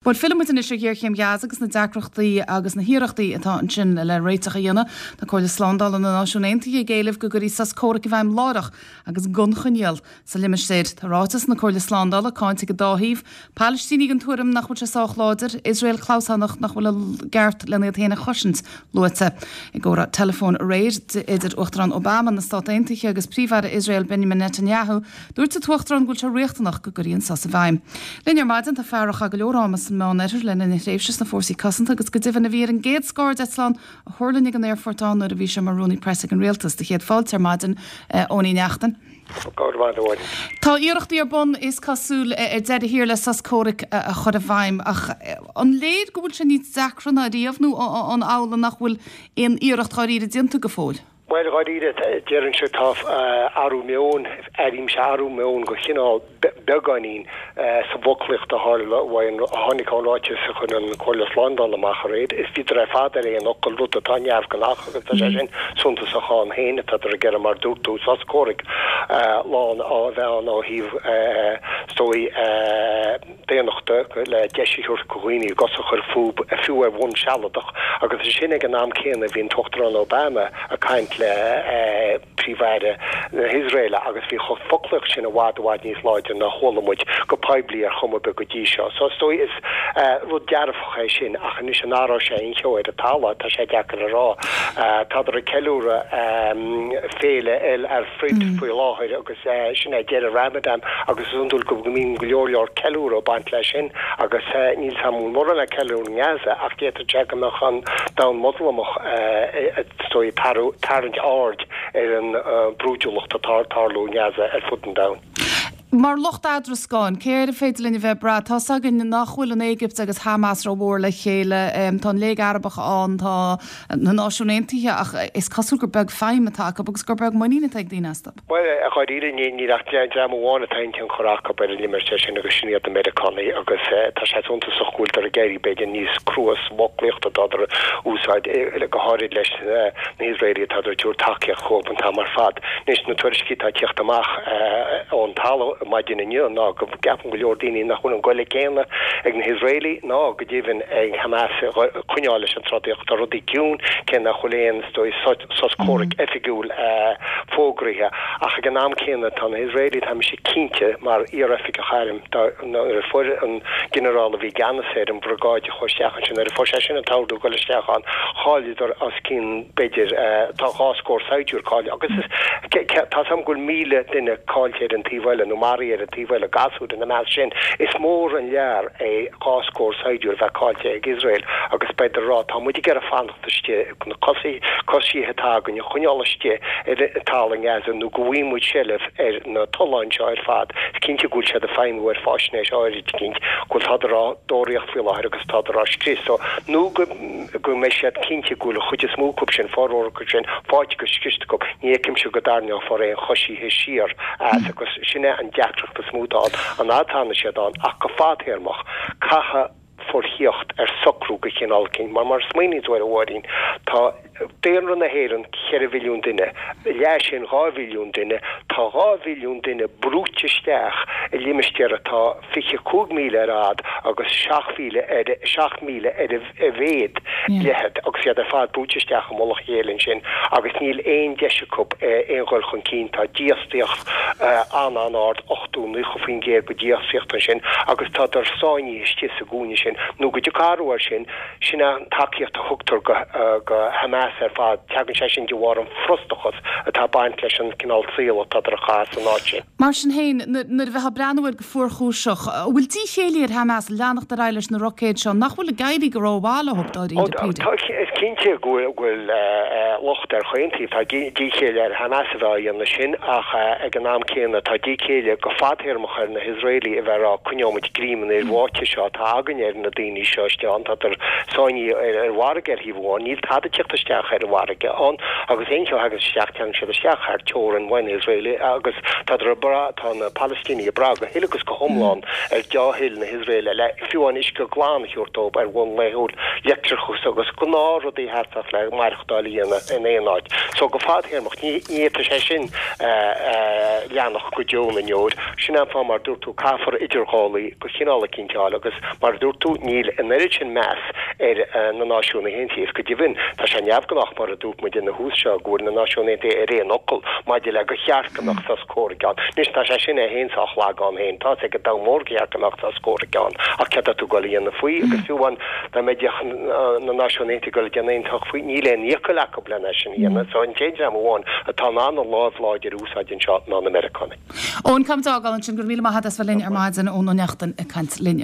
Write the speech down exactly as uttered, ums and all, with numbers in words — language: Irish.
Bhuel, fillfidh muid anois ar ghéarchéim Ghaza agus na deacrachtaí agus na hiarrachtaí atá ansin le réiteach a dhéanamh. Tá Comhairle Slándála na Náisiún Aontaithe ag éileamh go gcuirfí sos comhraic i bhfeidhm láithreach agus gan choinníoll sa limistéar. Tá ráiteas na Comhairle Slándála cáinte ag an dá thaobh. Palaistínigh den tuairim nach bhfuil sé sách láidir, Iosrael clamhsánach nach bhfuil a gceart lena iad féin a chosaint luaite. I gcomhrá teileafóin aréir idir Uachtarán Obama na Stát Aontaithe agus Príomh-Aire Iosrael Benjamin Netanyahu, dúirt an tUachtarán go bhfuil sé riachtanach go gcuirfí an sos i bhfeidhm. Linn ar maidin tá fear a chaith go leor ama san Meánoirthear le linn a thréimhse sna fórsaí cosanta agus go deimhin a bhí ar an gcéad scairdeitleán a thuirling ag an aerfort ann nuair a bhí sé mar rúnaí preasa ag an rialtas. Do chéad fáilte ar maidin, Eoin Uí Neachtain. Tá iarrachtaí ar bun is cosúil ar deireadh thiar le sos comhraic a chur i bhfeidhm ach an léir go bhfuil sé níos deacra ná riamh nó an amhlaidh nach bhfuil aon iarracht dháiríre déanta go fóill? Bhuel, dháiríre, déarfainnse tá athrú meoin, airímse athrú meoin go chineál beagáinín sa bhfoclaíocht a tharla uaidh a tháinig ón ráiteas a chuir an Chomhairle Slándála amach aréir. Is bhíodar ar fad ar aon fhocal, rud atá neamhghnách agus tá sé sin suntasach ann féin, tádar ag iarraidh, mar dúirt tú, sos comhraic lán a bheith ann ó thaobh, is dóigh, daonnachta le deis a thabhairt do dhaoine a gcosa a chur fúthu, fiú ar bhonn sealadach, agus ansin ag an am céanna bhí an tUachtarán Obama ag caint le Príomh-Aire na hIosraeile agus bhí an foclaíocht sin i bhfad i bhfad níos láidre ná chuala muid go poiblí ar chuma ar bith go dtí seo. So is dóigh is rud dearfach é sin ach anois an athróidh sé aon cheo ar an talamh, tá sé deacair a rá. Tádar ag ceiliúradh féile El Fitr faoi láthair agus sin é deireadh Ramadan agus is iondúil go mbíonn go leor leor ceiliúradh ag baint leis sin agus níl 's a'm an bhfuil mórán le ceiliúradh i nGaza ach d'fhéadfadh sé go mbeadh an domhan Moslamach is dóigh ag tarraingt aird ar an brúidiúlacht atá ag tarlú i nGaza ar fud an domhain. Mar lucht eadrascáin, cé air an féidir linn a bheith ag brath? Tá's againn nach bhfuil an Éigipt agus Hamas rómhór le chéile, tá an Léig Arabach ann, tá na Náisiúin Aontaithe ach is cosúil gur beag feidhm atá acu agus gur beag muinín atá ag daoine astu. Bhuel, dháiríre, níl ach dream amháin atá aon tionchar acu ar an limistéar sin agus sin iad na Meiriceánaigh agus tá sé suntasach go bhfuiltear ag éirí b'fhéidir níos crua sa bhfoclaíocht atádar a úsáid, go háirid leis na hIosraelaigh atádar ag tabhairt tacaíocht dhóibh an t-am ar fad. Anois, na tuairiscí atá ag tíocht amach ón talamh maidin inniu ná go gceapann go leor daoine nach bhfuil an goile céanna ag na hIosraelaigh ná go deimhin ag Hamas coinneáil leis an trodaíocht. Tá rudaí ciúin, cé nach bhfuil aon, is dóigh, sos comhraic oifigiúil fógraithe. Ach ag an am céanna, tá na hIosraelaigh, tá mise cinnte, mar iar-oifigeach airm, nuair a fuair an ginearál a bhí i gceannas ar an bhriogáid a chuaigh isteach ansin, nuair a fuair sé sin an t-ordú dul isteach ann, chailleadar os cionn, b'fhéidir, tá dhá scór saighdiúir caillte agus is, tá 's a'm go bhfuil míle duine caillte ar an taobh eile nó maraithe ar an taobh eile, gasúir ina measc sin. Is mór an lear é dhá scór saighdiúir a bheith caillte ag Iosrael agus beidh a rá, tá muid ag iarraidh fanacht istigh, na coisithe atá againn a choinneáil istigh ar an talamh i nGaza nó go bhfaighidh muid seilbh ar na tolláin seo ar fad. Is cinnte go bhfuil siad ag feidhmiú ar faisnéis áirid eicínt, go bhfuil tádar á dtóraíocht faoi láthair agus tádar á scrios so nó go go mbeidh siad cinnte go bhfuil an chuid is mó acu sin, formhór acu sin, faighte agus scriosta acu. Ní fheicimse go dtarraingeofar aon choisithe siar as agus sin é an deacracht is mó atá ann, an fhad atá siad ann ach go fadtéarmach, caithfidh forthíocht ar socrú go chineál eicínt mar mar a smaoiníonn tú air a Mháirín, tá daonra na hÉireann ceithre mhilliún duine, leath sin dhá mhilliún duine, tá dhá mhilliún duine brúite isteach i limistéar atá fiche cúig míle ar fhad agus seacht mhíle ar seacht míle ar a mhéad leithead agus iad ar fad brúite isteach i mullach a chéile ansin agus níl aon deis acu aon dhul chun cinn. Tá dífhostaíocht an-an-ard, ochtó, naocha faoin gcéad de dhífhostaíocht ansin agus tádar sáinnithe istigh sa gcúinne sin. Nó go dtiocfaidh athrú air sin, sin é an tacaíocht a thugtar go Hamas ar fad, tagann sé sin de bharr an frustrachas atá ag baint leis an cineál saoil atádar a chaitheamh san áit sin. Mar sin féin, nuair a bheifeá ag breathnú air go fuarchúiseach, an bhfuil díchéillí ar Hamas leanacht ar aghaidh leis na roicéid seo, nach bhfuil ag éirí go rómhaith leo, dáiríre píre? Is cinnte go bhfuil locht ar chaon taobh. Tá díchéille ar Hamas a bheith á dhéanamh sin ach ag an am céanna tá díchéille go fadtéarmach ar na hIosraelaigh a bheith ag rá coinneoimid greim an fhir bháite seo atá againn ar na daoine seo istigh ann. Tádar sáinnithe ar an bhfarraige ar thaobh amháin, níl tada ag tíocht isteach isteach ar an bhfarraige ann agus aon cheo a thagann isteach tagann siad isteach thar teorainn na hIosraeile agus tádar ag brath, tá na Palaistínigh ag brath go huile agus go hiomlán ar dea-thoil na hIosraeile le fiú an uisce glan a thabhairt dóibh ar bhonn laethúil, leictreachas agus gnáthrudaí a theastaíonn le maireachtáil a dhéanamh in aon áit. So go fadtéarmach ní fhéadfaidh sé sin leanacht go deo na ndeor. Sin an fáth mar dúirt tú caithfear idirghabhálaí de chineál eicínt a fháil agus mar a dúirt tú níl an oiread sin meas ar na Náisiúin Aontaithe is go deimhin tá sé neamhghnách mar a dúirt muid ina thús seo go bhfuil na Náisiúin Aontaithe ar aon fhocal maidir le gur cheart go mbeadh sos comhraic ann. Anois tá sé sin é féin sách lag ann féin. Tá's ag an domhan mór gur cheart go mbeadh sos comhraic ann ach céard atá tú ag dul a dhéanamh faoi agus fiú amháin dá mbeidh na Náisiúin Aontaithe ag dul a dhéanamh aon tsoch faoi níl aon fhiacail acu lena sin a dhéanamh. So an t-aon dream amháin atá in ann a lámh láidir a úsáid anseo ná na Meiriceánaigh. Eoin, caithfimid fágáil ansin, go raibh míle maith agat as bheith linn ar maidin Eoin Ó Neachtain ag caint linn.